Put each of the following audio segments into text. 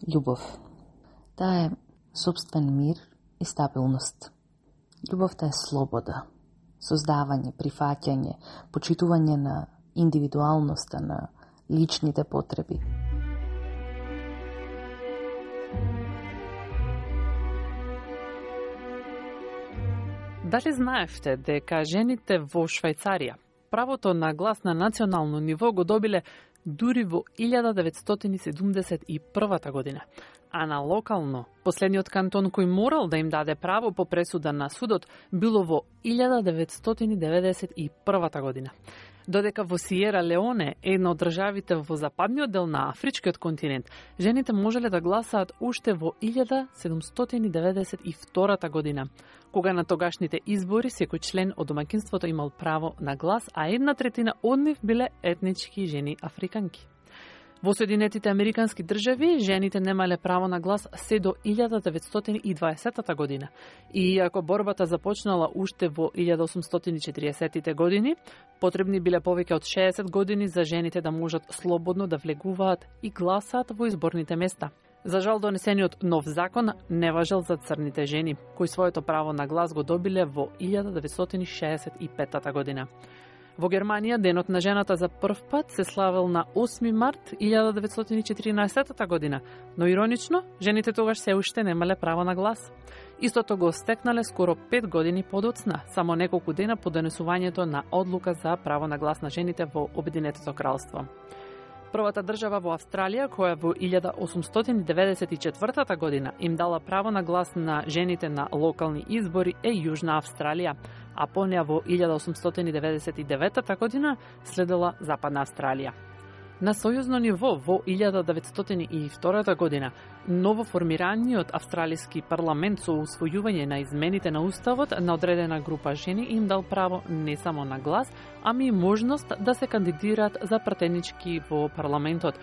Љубов. Таа е сопствен мир и стабилност. Љубовта е слобода, создавање, прифаќање, почитување на индивидуалноста, на личните потреби. Дали знаевте дека жените во Швајцарија правото на глас на национално ниво го добиле дури во 1971 година, а на локално, последниот кантон кој морал да им даде право по пресуда на судот било во 1991 година. Додека во Сиера Леоне, една од државите во западниот дел на Афричкиот континент, жените можеле да гласаат уште во 1792 година, кога на тогашните избори секој член од домаќинството имал право на глас, а 1/3 од нив биле етнички жени африканки. Во Соединетите Американски држави, жените немале право на глас се до 1920 година. И иако борбата започнала уште во 1840 години, потребни биле повеќе од 60 години за жените да можат слободно да влегуваат и гласаат во изборните места. За жал, донесениот нов закон не важел за црните жени, кои своето право на глас го добиле во 1965 година. Во Германија, денот на жената за прв пат се славел на 8 март 1914 година, но иронично, жените тогаш се уште немале право на глас. Истото го стекнале скоро 5 години подоцна, само неколку дена по донесувањето на одлука за право на глас на жените во Обединетото кралство. Првата држава во Австралија, која во 1894 година им дала право на глас на жените на локални избори е Јужна Австралија, а по неа во 1899 година следела Западна Австралија. На сојузно ниво во 1902 година новоформираниот австралиски парламент со усвојување на измените на уставот на одредена група жени им дал право не само на глас, ами и можност да се кандидираат за пратенички во парламентот.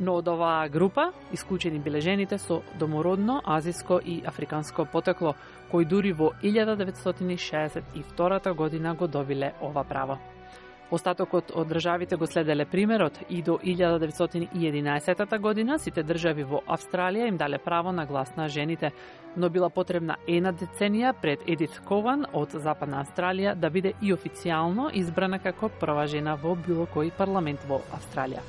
Но од оваа група исклучени биле жените со домородно, азиско и африканско потекло, кои дури во 1962 година го добиле ова право. Остатокот од државите го следеле примерот и до 1911 година сите држави во Австралија им дале право на глас на жените, но била потребна една деценија пред Едит Кован од Западна Австралија да биде и официјално избрана како прва жена во било кој парламент во Австралија.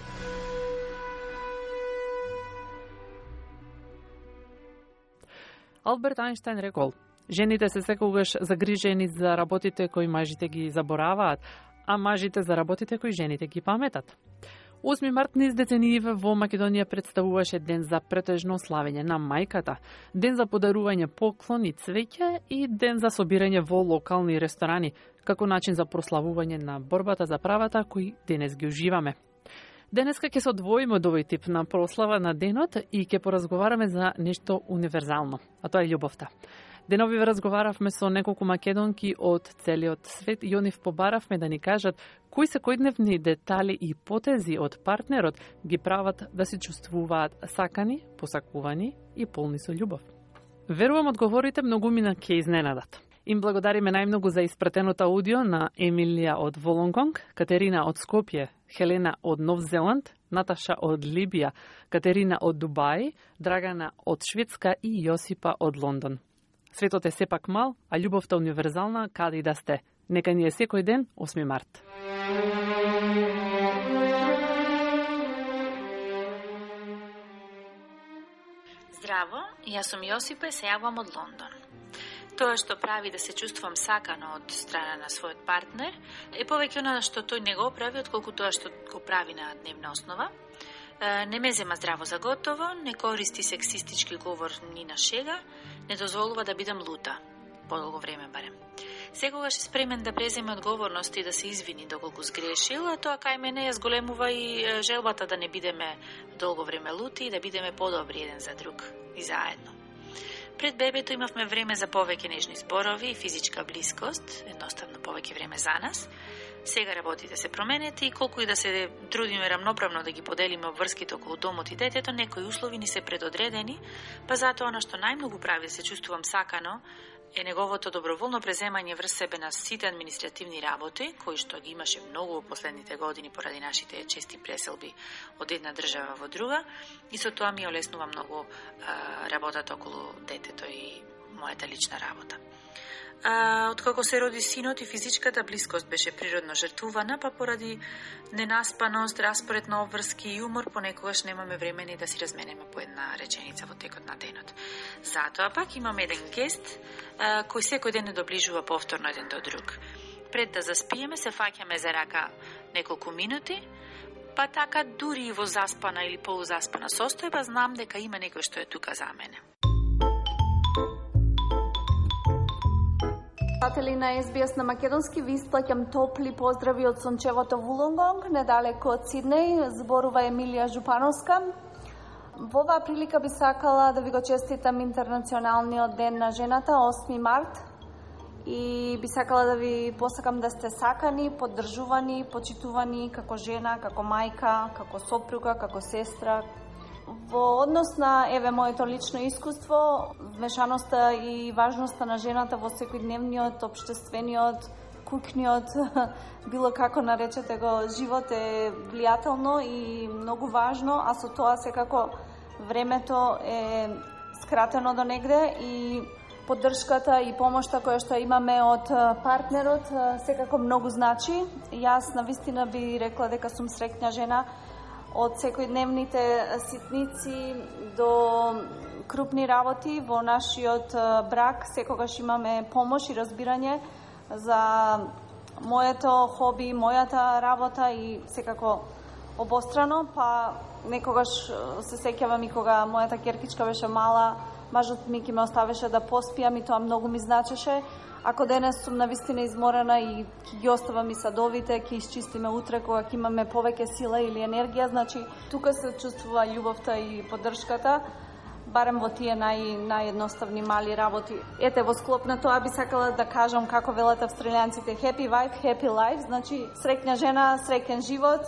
Алберт Ајнштајн рекол: жените се секогаш загрижени за работите кои мажите ги забораваат, а мажите за работите кои жените ги паметат. 8 март низ деценијиве во Македонија представуваше ден за претежно славење на мајката, ден за подарување поклони, цвеќе и ден за собирање во локални ресторани, како начин за прославување на борбата за правата кои денес ги уживаме. Денеска ќе се одвоиме од овој тип на прослава на денот и ќе поразговараме за нешто универзално, а тоа е љубовта. Деновиве разговаравме со неколку македонки од целиот свет и онив побаравме да ни кажат кои секојдневни детали и потези од партнерот ги прават да се чувствуваат сакани, посакувани и полни со љубов. Верувам одговорите многумина ќе изненадат. Им благодариме најмногу за испратеното аудио на Емилија од Волонгонг, Катерина од Скопје, Хелена од Нов Зеланд, Наташа од Либија, Катерина од Дубај, Драгана од Шведска и Јосипа од Лондон. Светот е сепак мал, а љубовта универзална каде и да сте. Нека ни е секој ден 8 март. Здраво, јас сум Јосипа и се јавувам од Лондон. Тоа што прави да се чувствувам сакано од страна на својот партнер е повеќе она што тој не го прави, отколку тоа што го прави на дневна основа. Не ме зема здраво за готово, не користи сексистички говор ни на шега, не дозволува да бидам лута, подолго време барем. Секогаш е спремен да преземе одговорност и да се извини доколку сгрешил, а тоа кај мене ја зголемува и желбата да не бидеме долго време лути и да бидеме подобри еден за друг и заедно. Пред бебето имавме време за повеќе нежни зборови и физичка блискост, едноставно повеќе време за нас. Сега работите се променети и колку и да се трудиме рамноправно да ги поделиме обврските околу домот и детето, некои услови ни се предодредени, па затоа она што најмногу прави да се чувствувам сакано е неговото доброволно преземање врз себе на сите административни работи, кои што ги имаше многу во последните години поради нашите чести преселби од една држава во друга, и со тоа ми олеснува многу работата околу детето и мојата лична работа. Откако се роди синот и физичката блискост беше природно жртвувана, па поради ненаспаност, распоред на обврски и умор, понекогаш немаме време ни да си разменеме по една реченица во текот на денот. Затоа пак имаме еден гест кој секој ден не доближува повторно еден до друг. Пред да заспиеме се фаќаме за рака неколку минути, па така дури и во заспана или полузаспана состојба знам дека има некој што е тука за мене. Слушатели на SBS на македонски, ви исплаќам топли поздрави од сончевото Вулонгонг, недалеку од Сиднеј, зборува Емилија Жупановска. Во оваа прилика би сакала да ви го честитам Интернационалниот ден на жената, 8 март, и би сакала да ви посакам да сте сакани, поддржувани, почитувани како жена, како мајка, како сопруга, како сестра. Во однос на, моето лично искуство, вмешаноста и важноста на жената во секојдневниот, општествениот, куќниот, било како наречете го, живот е влијателно и многу важно, а со тоа секако времето е скратено до негде и поддршката и помошта која што имаме од партнерот секако многу значи. Јас навистина би рекла дека сум среќна жена. Од секојдневните ситници до крупни работи во нашиот брак секогаш имаме помош и разбирање за моето хоби, мојата работа и секако обострано, па некогаш се сеќавам и кога мојата керкичка беше мала, мажот ми ќе ме оставеше да поспиам и тоа многу ми значеше. Ако денес сум навистина изморена и ќе ги оставам и садовите, ќе исчистиме утре кога ќе имаме повеќе сила или енергија, значи тука се чувствува љубовта и поддршката, барем во тие наједноставни мали работи. Ете, во склоп на тоа би сакала да кажам како велат австралијанците, happy wife, happy life, значи среќна жена, среќен живот.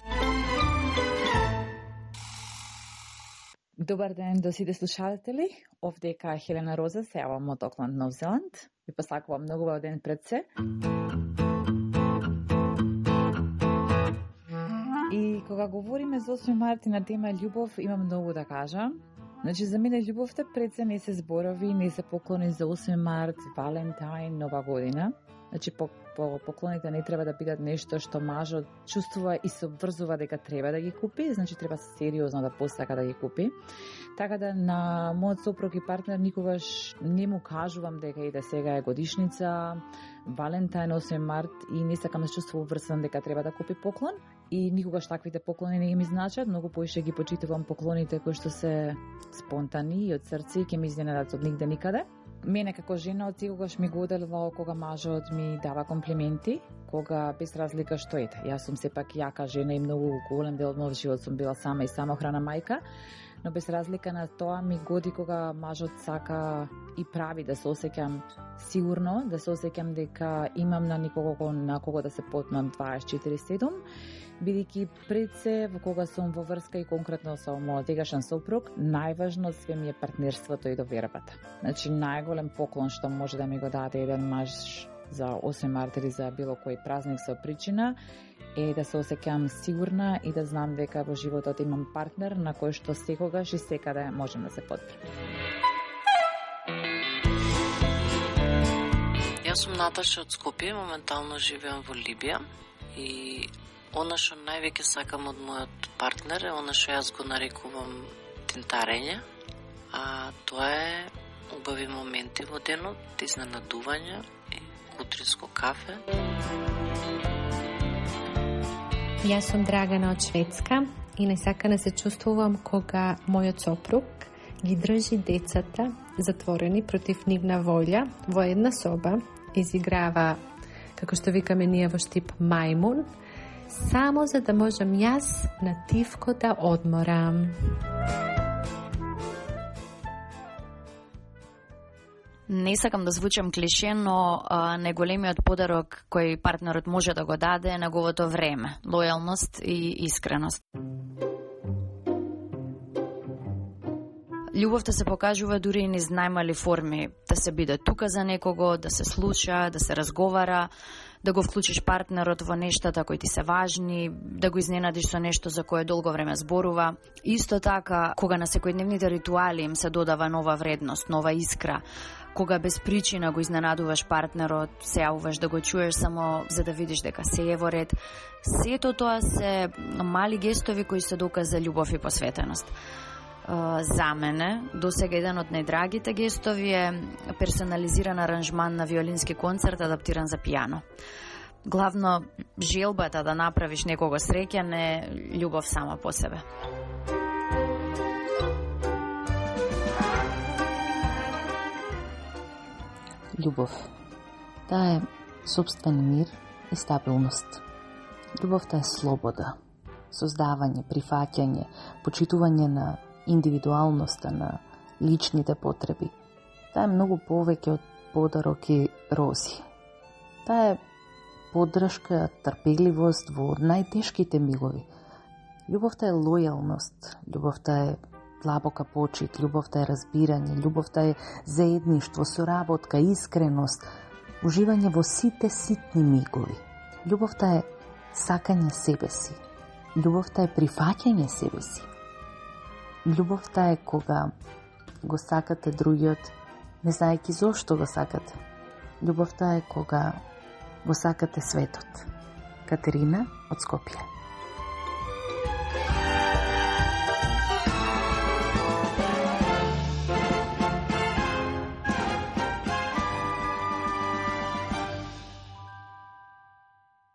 Добар ден до сите слушатели. Овдека Хелена Роза, се јавам од Окланд, Нов Зеланд. Ви посакувам многу убав ден пред се. И кога говориме за 8 март на тема љубов, имам многу да кажам. Значи, за мене љубовта пред се не се зборови, не се поклони за 8 март, Валентајн, Нова година. Значи, поклоните не треба да бидат нешто што мажот чувствува и се обврзува дека треба да ги купи, значи треба сериозно да посака да ги купи. Така да на мојот сопруг и партнер никогаш не му кажувам дека и да сега е годишница, Валентајн, 8 март и не сакам да се чувствувам обврзан дека треба да купи поклон. И никогаш таквите поклони не ми значат, многу поише ги почитувам поклоните кои што се спонтани и од срце и ќе ми изненадат од нигде никаде. Мене како жена од секогаш ми го оделувало кога мажот ми дава комплименти, кога без разлика што ете. Јас сум сепак јака жена и многу голем дел од мојот живот сум била сама и самохрана мајка, но без разлика на тоа ми годи кога мажот сака и прави да се осеќам сигурно, да се осеќам дека имам на никого на кого да се потмам 24/7, бидејќи пред се во кога сум во врска и конкретно со мојот сегашен сопруг, најважно од све ми е партнерството и довербата. Значи најголем поклон што може да ми го даде еден маж за 8 март или за било кој празник со причина е да се осеќам сигурна и да знам дека во животот имам партнер на кој што секогаш и секаде можем да се подпрем. Јас сум Наташа од Скопје, моментално живеам во Либија и она што највеќе сакам од мојот партнер е она што јас го нарекувам тентарење, а тоа е убави моменти во денот, изненадувања и утринско кафе. Јас сум Драгана од Шведска и најсакано се чувствувам кога мојот сопруг ги држи децата затворени против нивна волја во една соба, изиграва, како што викаме ние во Штип, мајмун, само за да можам јас на тивко да одморам. Не сакам да звучам клише, но најголемиот подарок кој партнерот може да го даде е неговото време, лојалност и искреност. Љубовта се покажува дури и низ најмали форми, да се биде тука за некого, да се слуша, да се разговара, да го вклучиш партнерот во нештата кои ти се важни, да го изненадиш со нешто за кое долго време зборува. Исто така, кога на секојдневните ритуали им се додава нова вредност, нова искра, кога без причина го изненадуваш партнерот, се јавуваш да го чуеш само за да видиш дека се е во ред. Сето тоа се мали гестови кои се доказ за љубов и посветеност. За мене, досега еден од најдрагите гестови е персонализиран аранжман на виолински концерт адаптиран за пијано. Главно, желбата да направиш некого среќен е љубов сама по себе. Љубов. Таа е собствен мир и стабилност. Љубовта е слобода, создавање, прифаќање, почитување на индивидуалноста, на личните потреби. Таа е многу повеќе од подарок и рози. Таа е поддршка, трпеливост во најтешките мигови. Љубовта е лојалност, љубовта е длабока почит, љубовта е разбирање, љубовта е заедништво, соработка, искреност, уживање во сите ситни мигови. Љубовта е сакање себе си. Љубовта е прифаќање себе си. Љубовта е кога го сакате другиот, не знаејќи зошто го сакате. Љубовта е кога го сакате светот. Катерина од Скопје.